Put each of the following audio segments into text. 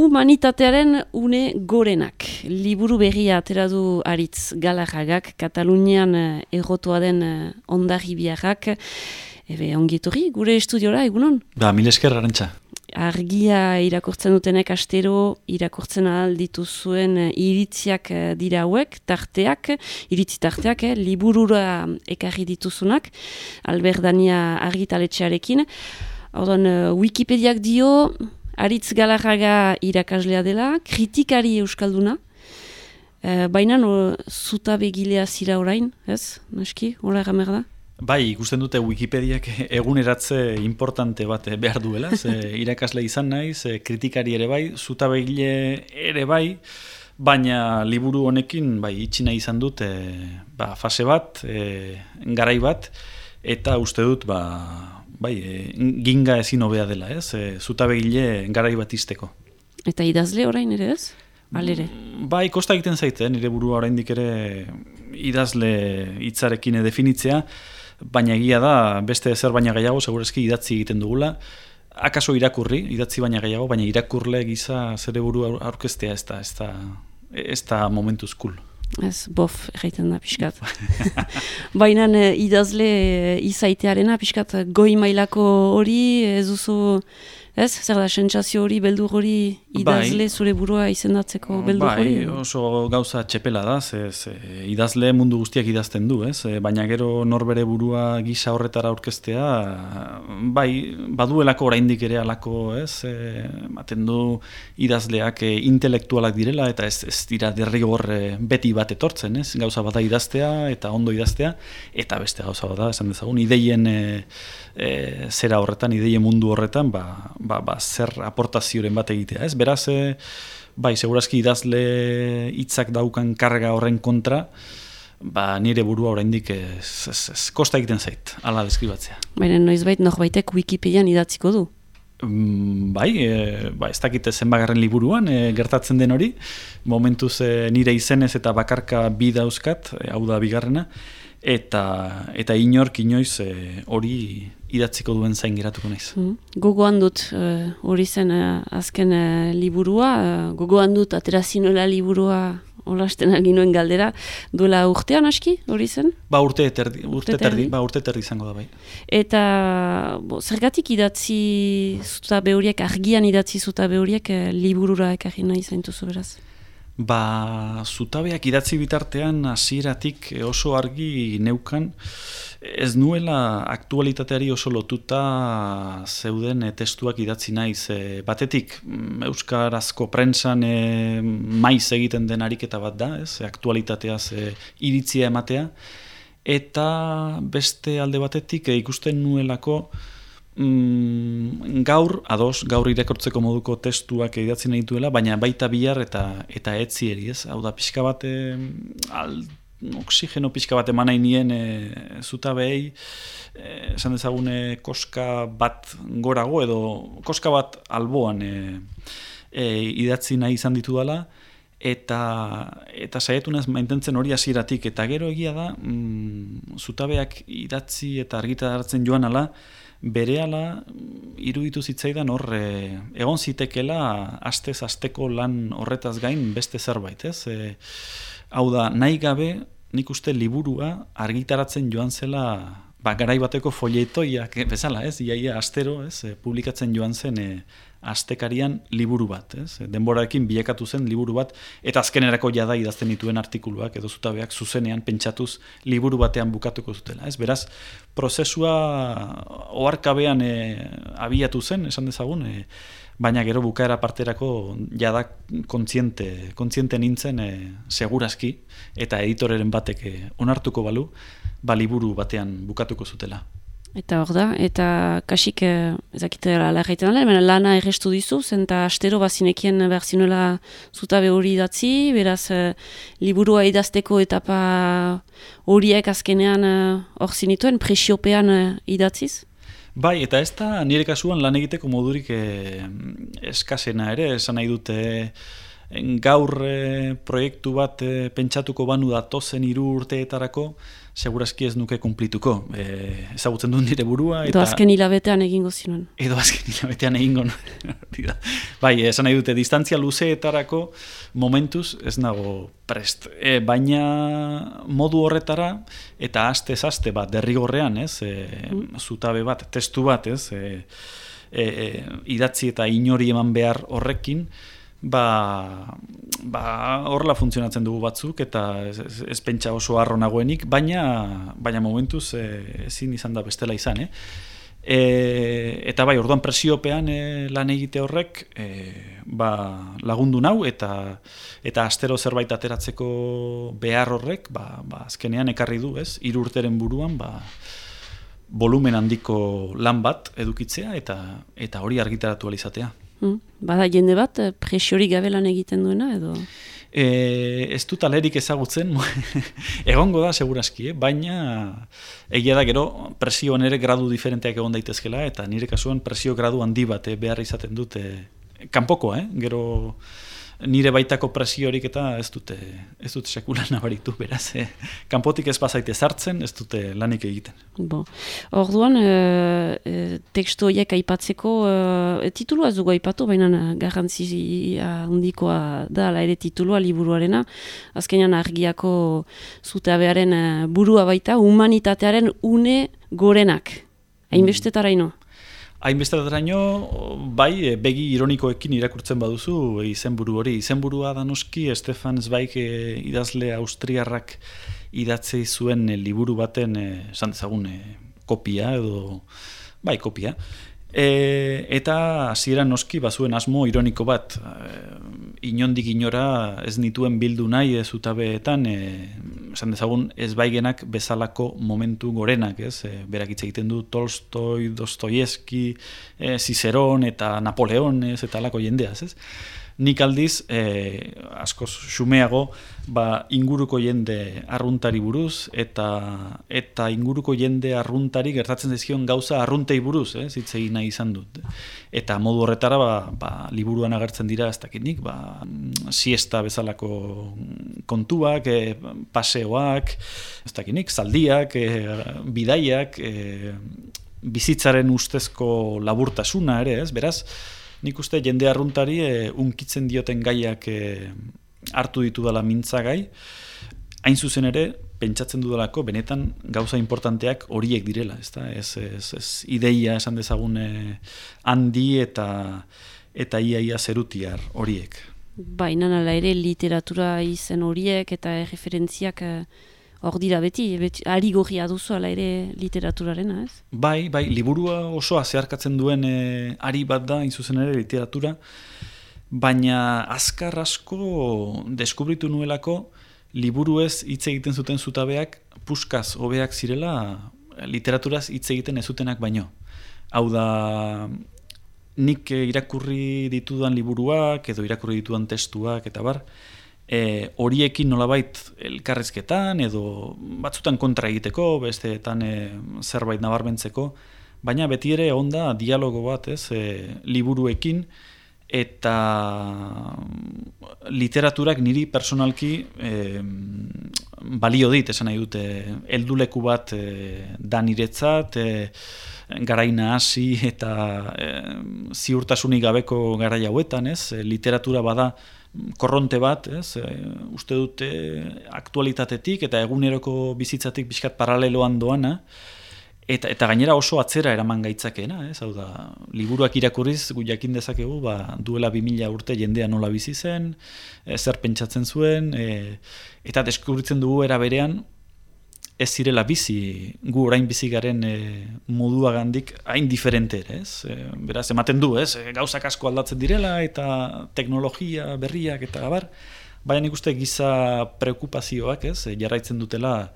Humanitatearen une gorenak. Liburu berria atera du Aritz Galarragak, Katalunian errotua den Hondarribiarrak. Ongietorri, gure estudiora, egunon? Mil esker, Arantxa. Argia irakurtzen dutenek astero, irakurtzen alditu zuen iritziak dira hauek, tarteak, iritzi tarteak, liburura ekarri dituzunak, Alberdania argitaletxearekin. Wikipediak dio, Aritz Galarraga irakaslea dela, kritikari euskalduna, baina zutabegilea zira orain, ez? Naski, hola gamer da? Bai, ikusten dute Wikipediak eguneratze importante bat behar duela, irakasle izan naiz, kritikari ere bai, zutabegile ere bai, baina liburu honekin itxi nahi izan dut fase bat, garai bat, eta uste dut ginga ezin hobea dela, ez? Zutabegile garai bat izteko. Eta idazle orain ere ez? Alere? Bai, kosta egiten zaite, nire burua oraindik ere idazle hitzarekin definitzea, baina egia da, beste zer baina gehiago, segurazki idatzi egiten dugula, akaso irakurri, idatzi baina gehiago, baina irakurle giza zere burua aurkeztea ez da momentuz cool. Ez, bof, egiten da, pixkat. Baina idazle izaitearena, pixkat, goi mailako hori, ez duzu, ez? Zer da, sentsazio hori, beldur hori, idazle zure burua izendatzeko beldur hori? Bai, oso gauza txepela da, idazle mundu guztiak idazten du, ez? Baina gero norbere burua gisa horretara aurkeztea, baduelako oraindik ere alako, ez? Ematen du idazleak intelektualak direla, eta ez dira derrigor beti bat etortzen, ez? Gauza bada idaztea, eta ondo idaztea, eta beste gauza bada, esan dezagun, ideien zera horretan, ideien mundu horretan, zer aportazioren bat egitea, ez? Beraz, segurazki idazle hitzak daukan karga horren kontra, nire burua oraindik kosta egiten zait, ala deskribatzea. Baina noizbait norbaitek Wikipedian idatziko du? Ez dakite zenbagarren liburuan gertatzen den hori, momentuz nire izenez eta bakarka bi dauzkat, hau da bigarrena, eta inork inoiz hori idatziko duen zain geratuko naiz. Gogoan dut hori zen azken liburua, gogoan dut aterazinela liburua olasten alginuen galdera, duela urtean aski hori zen? Urte terdi izango da bai. Eta zergatik idatzi zutabe horiek, argian idatzi zutabe horiek liburura ekarri nahi zaintuzu beraz? Zutabeak idatzi bitartean hasieratik oso argi neukan, ez nuela aktualitateari oso lotuta zeuden testuak idatzi naiz. Batetik, euskarazko prentsan maiz egiten den ariketa bat da, aktualitateaz iritzia ematea, eta beste alde batetik ikusten nuelako gaur irakurtzeko moduko testuak idatzi nahi duela, baina baita bihar eta etzieri, ez? Hau da, pixka bat, oxigeno pixka bat eman nahi nien zutabei, esan dezagune koska bat gorago, edo koska bat alboan idatzi nahi izan ditu dela, eta saiatu naiz mantentzen hori hasieratik, eta gero egia da, zutabeak idatzi eta argitaratzen joan ala, berehala iruditu zitzaidan hor egon zitekela astez-asteko lan horretaz gain beste zerbait, ez? Hau da, nahi gabe nik uste liburua argitaratzen joan zela garai bateko folletoiak bezala, ez? Iaia astero, ez? Publikatzen joan zen astekarian liburu bat, ez? Denborarekin bilakatu zen liburu bat, eta azkenerako jada idazten dituen artikuluak edo zutabeak zuzenean pentsatuz liburu batean bukatuko zutela, ez? Beraz, prozesua oharkabean abiatu zen, esan dezagun, baina gero bukaera parterako jada kontziente nintzen segurazki, eta editoreren batek onartuko balu, liburu batean bukatuko zutela. Eta hor da, eta kasik ezakitela larraiten alda, lana errestu dizu, eta astero bazinekien behar zinuela zutabe hori idatzi, beraz liburua idazteko etapa horiek azkenean hor zinituen, presiopean idatziz? Bai, eta ez da nire kasuan lan egiteko modurik eskasena ere, esan nahi dute gaur proiektu bat pentsatuko banu datozen 3 urteetarako, segurazki ez nuke kumplituko. Ezagutzen dut nire burua. Edo azken hilabetean egingo zinuen. Edo azken hilabetean egingo nuen. Bai, esan nahi dute, distantzia luzeetarako momentuz ez nago prest. Baina modu horretara, eta aste bat derrigorrean, zutabe bat, testu bat, idatzi eta inori eman behar horrekin, horrela funtzionatzen dugu batzuk eta ez pentsa oso harro nagoenik, baina momentuz ezin izan da bestela izan. Eta bai, orduan presiopean lan egite horrek lagundu nau eta astero zerbait ateratzeko behar horrek azkenean ekarri du, 3 urteren buruan volumen handiko lan bat edukitzea eta hori argitaratu alizatea. Bada jende bat presiorik gabe lan egiten duena edo? Ez dut alerik ezagutzen, egongo da segurazki, baina egia da gero presioan ere gradu diferenteak egon daitezkela eta nire kasuan presio gradu handi bat behar izaten dut kanpoko, gero nire baitako presiorik eta ez dut sekula nabaritu, beraz. Kanpotik ez bazaite sartzen, ez dute lanik egiten. Orduan, tekstu horiek aipatzeko, titulua ez dugu aipatu, baina garrantzia handikoa da, ere titulua liburuarena. Azkenean argiako zutabearen burua baita, humanitatearen une gorenak. Hainbestetaraino. Hainbestetaraino, bai, begi ironikoekin irakurtzen baduzu izenburu hori. Izenburua da noski Stefan Zweig idazle austriarrak idatzei zuen liburu baten, esan dezagun, kopia edo, bai, kopia. Eta hasieran noski bazuen asmo ironiko bat, inondik inora ez nituen bildu nahi zutabeetan, esan dezagun ez baigenak bezalako momentu gorenak, berak hitz egiten du Tolstoi, Dostoievski, Ciceron eta Napoleon, eta alako jendeaz, Nik aldiz, askoz xumeago, inguruko jende arruntari buruz, eta inguruko jende arruntari gertatzen zaizkion gauza arruntei buruz, hitz egin nahi izan dut. Eta modu horretara, liburuan agertzen dira ez dakinik, siesta bezalako kontuak, paseoak, ez dakinik, zaldiak, bidaiak, bizitzaren ustezko laburtasuna ere, beraz, nik uste jende arruntari unkitzen dioten gaiak hartu ditudala mintzagai, hain zuzen ere, pentsatzen dudalako, benetan gauza importanteak horiek direla, ez ideia esan dezagun handi eta ia zerutiar horiek. Baina nala ere literatura izen horiek eta referentziak hor dira beti ari gorria duzu ala ere literaturarena, ez? Bai, liburua osoa zeharkatzen duen ari bat da, zuzen ere literatura, baina azkar asko deskubritu nuelako liburuez hitz egiten zuten zutabeak puskaz hobeak zirela literaturaz hitz egiten ez zutenak baino. Hau da, nik irakurri ditudan liburuak edo irakurri ditudan testuak eta bar, horiekin nolabait elkarrizketan edo batzutan kontra egiteko, besteetan zerbait nabarmentzeko, baina beti ere onda dialogo bat, liburuekin eta literaturak niri personalki balio dit, esan nahi dute, helduleku bat da niretzat, garaina hasi eta ziurtasunik gabeko garai hauetan, literatura bada korronte bat, uste dute aktualitatetik eta eguneroko bizitzatik pixkat paraleloan doana, eta gainera oso atzera eraman gaitzakeena, hau da, liburuak irakurriz gu jakin dezakegu, duela 2000 urte jendea nola bizi zen, zer pentsatzen zuen, eta deskubritzen dugu era berean, ez zirela bizi, gu orain bizi garen moduagandik hain diferente ere, beraz, ematen du, gauzak asko aldatzen direla, eta teknologia berriak, eta gabar, baina nik uste giza preokupazioak, jarraitzen dutela,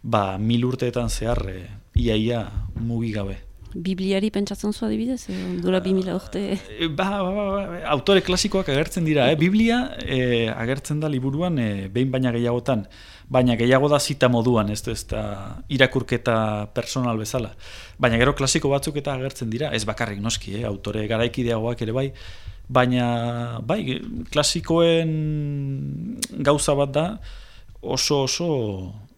1000 urteetan zehar, ia mugigabe. Bibliari pentsatzen zua adibidez, dura 2000 urte? Autore klasikoak agertzen dira, Biblia agertzen da liburuan behin baina gehiagotan, baina gehiago da zita moduan, ez da irakurketa personal bezala. Baina gero klasiko batzuk eta agertzen dira, ez bakarrik noski, autore garaikideagoak ere bai, baina klasikoen gauza bat da oso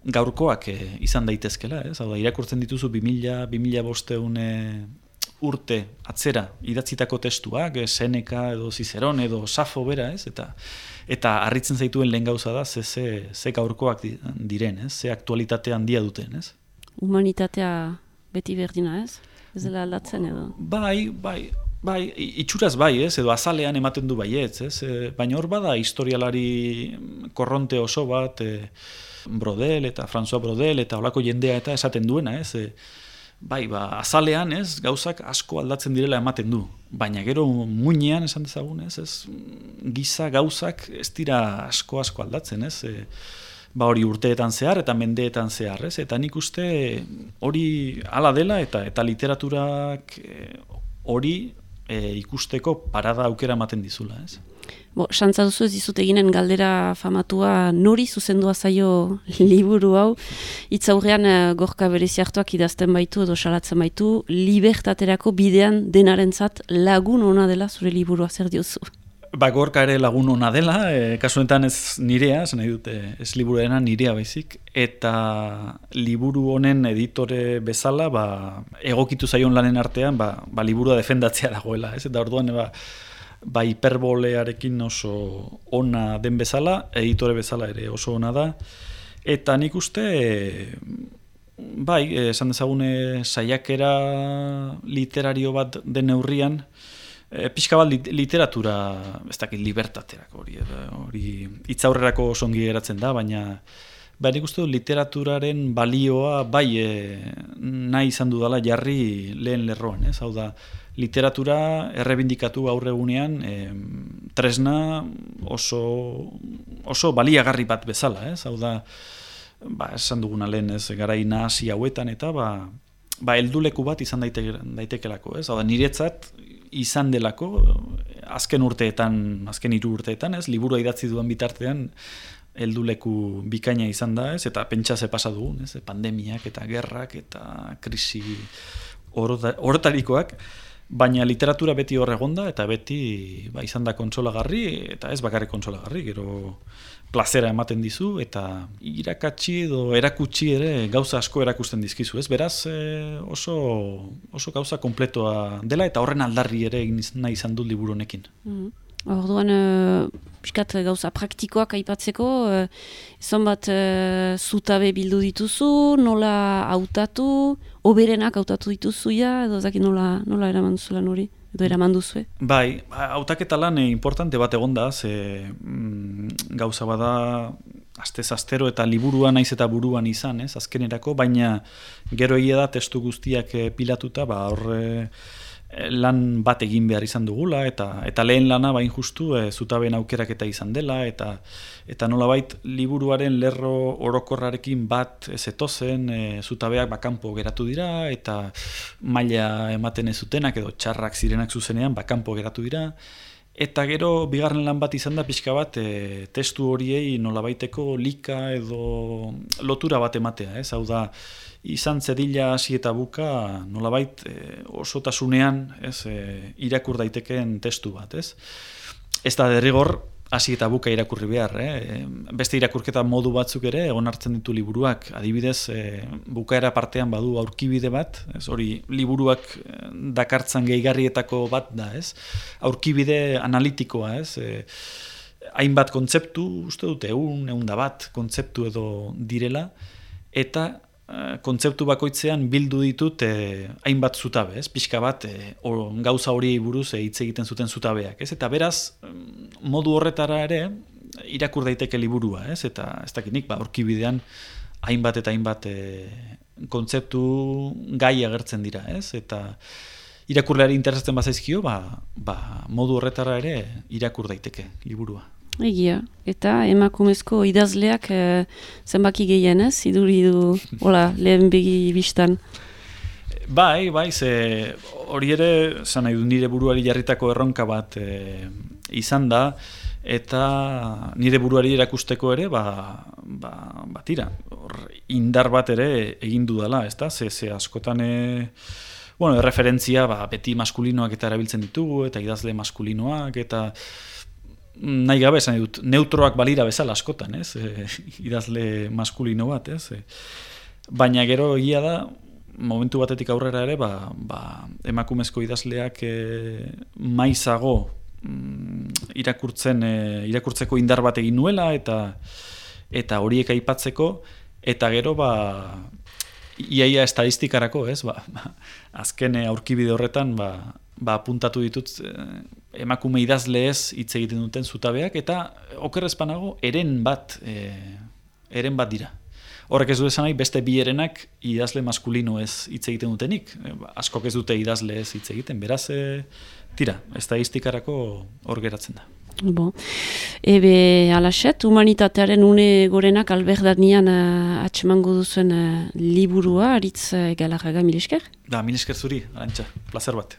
gaurkoak izan daitezkela, ez? Hau da, irakurtzen dituzu 2000-2500 urte atzera idatzitako testuak, Seneca edo Cicerón edo Safo bera, ez? Eta harritzen zaituen lehen gauza da, ze gaurkoak diren, ez? Ze aktualitate handia duten, ez? Humanitatea beti berdina, ez? Ez dela aldatzen edo? Bai, itxuraz bai, ez? Edo azalean ematen du baietz, ez? Baina hor bada historialari korronte oso bat, Brodel eta François Brodel eta holako jendea eta esaten duena, ez? Bai, azalean, ez? Gauzak asko aldatzen direla ematen du. Baina gero muinean esan dezagun, ez? Giza gauzak ez dira asko aldatzen, ez? Hori urteetan zehar eta mendeetan zehar, ez? Eta nik uste hori hala dela eta literaturak hori ikusteko parada aukera ematen dizula, ez? Santza duzu ez dizut eginen galdera famatua nori zuzendua zaio liburu hau, hitzaurrean Gorka Bereziartuak idazten baitu edo salatzen baitu, libertaterako bidean denarentzat lagun ona dela zure liburua, zer diozu? Gorka ere lagun ona dela, kasuetan ez nirea, nahi dute ez liburuena nirea baizik, eta liburu honen editore bezala, egokitu zaion lanen artean, liburua defendatzea dagoela, ez? Eta orduan, hiperbolearekin oso ona den bezala, editore bezala ere oso ona da, eta nik uste, esan dezagune saiakera literario bat den neurrian, pixka bat literatura, ez dakit libertaterak hori hitzaurrerako oso ongi geratzen da, baina nik uste literaturaren balioa nahi izan dudala jarri lehen lerroan, ez? Hau da, literatura errebindikatu gaur egunean tresna oso baliagarri bat bezala, ez? Hau da, esan duguna lehen, ez, garai nahasi hauetan eta helduleku bat izan daitekelako, ez? Hau da, niretzat izan delako azken 3 urteetan, ez? Liburua idatzi duen bitartean helduleku bikaina izan da, ez? Eta pentsa ze pasa dugun, ez? Pandemiak eta gerrak eta krisi orotarikoak, baina literatura beti hor egonda eta beti izan da kontsolagarri eta ez bakarrik kontsolagarri, gero plazera ematen dizu eta irakatsi edo erakutsi ere gauza asko erakusten dizkizu, ez? Beraz oso gauza kompletoa dela eta horren aldarri ere nahi izan dut liburu honekin. Orduan, piskat gauza praktikoak aipatzeko, zonbat zutabe bildu dituzu, nola hautatu, oberenak hautatu dituzuia, edo zaki nola eraman duzuela hori, edo eraman duzue? Hautaketa lan importante bat egonda, gauza bada astez astero eta liburua naiz eta buruan izan, ez, azkenerako, baina gero egia da testu guztiak pilatuta, hor lan bat egin behar izan dugula, eta lehen lana bain justu zutabeen aukeraketa izan dela, eta nolabait liburuaren lerro orokorrarekin bat ez etozen, zutabeak kanpo geratu dira, eta maila ematen ez zutenak edo txarrak zirenak zuzenean kanpo geratu dira, eta gero bigarren lan bat izan da pixka bat testu horiei nolabaiteko lika edo lotura bat ematea, ez? Hau da, izan zedila hasi eta buka nolabait osotasunean, ez, irakur daitekeen testu bat, ez? Ez da derrigor hasi eta buka irakurri behar, beste irakurketa modu batzuk ere egon hartzen ditu liburuak, adibidez bukaera partean badu aurkibide bat, ez, hori liburuak dakartzan gehigarrietako bat da, ez? Aurkibide analitikoa, ez? Hainbat kontzeptu, uste dute, egun da bat kontzeptu edo direla, eta kontzeptu bakoitzean bildu ditut hainbat zutabe, ez? Pixka bat gauza horiei buruz hitz egiten zuten zutabeak, ez? Eta beraz, modu horretara ere irakur daiteke liburua, ez? Eta ez dakinik, aurkibidean hainbat eta hainbat kontzeptu gai agertzen dira, ez? Eta irakurleari interesatzen bazaizkio, modu horretara ere irakur daiteke liburua. Egia, eta emakumezko idazleak zenbaki gehien, ez? Iduri du, lehen begi bistan. Bai, ze hori ere, zan nahi du, nire buruari jarritako erronka bat izan da, eta nire buruari erakusteko ere, tira, indar bat ere egin dudala, ez da? Ze askotan, referentzia, beti maskulinoak eta erabiltzen ditugu, eta idazle maskulinoak, eta nahi gabe esan dut, neutroak balira bezala askotan, ez? Idazle maskulino bat, ez? Baina gero egia da, momentu batetik aurrera ere, emakumezko idazleak maizago irakurtzeko indar bat egin nuela, eta horiek aipatzeko, eta gero iaia estadistikarako, ez? Azken aurkibide horretan, apuntatu ditut emakume idazle ez hitz egiten duten zutabeak, eta okerrezpanago eren bat dira. Horrek ez du esan nahi, beste bi erenak idazle maskulino ez hitz egiten dutenik. Askok ez dute idazle ez hitz egiten, beraz, tira, estadistikarako hor geratzen da. Bon. Ebe, alaxet, humanitatearen une gorenak Alberdanian atxemango duzuen liburua, Aritz Galarraga, mil esker? Mil esker zuri, Arantxa, plazer bat.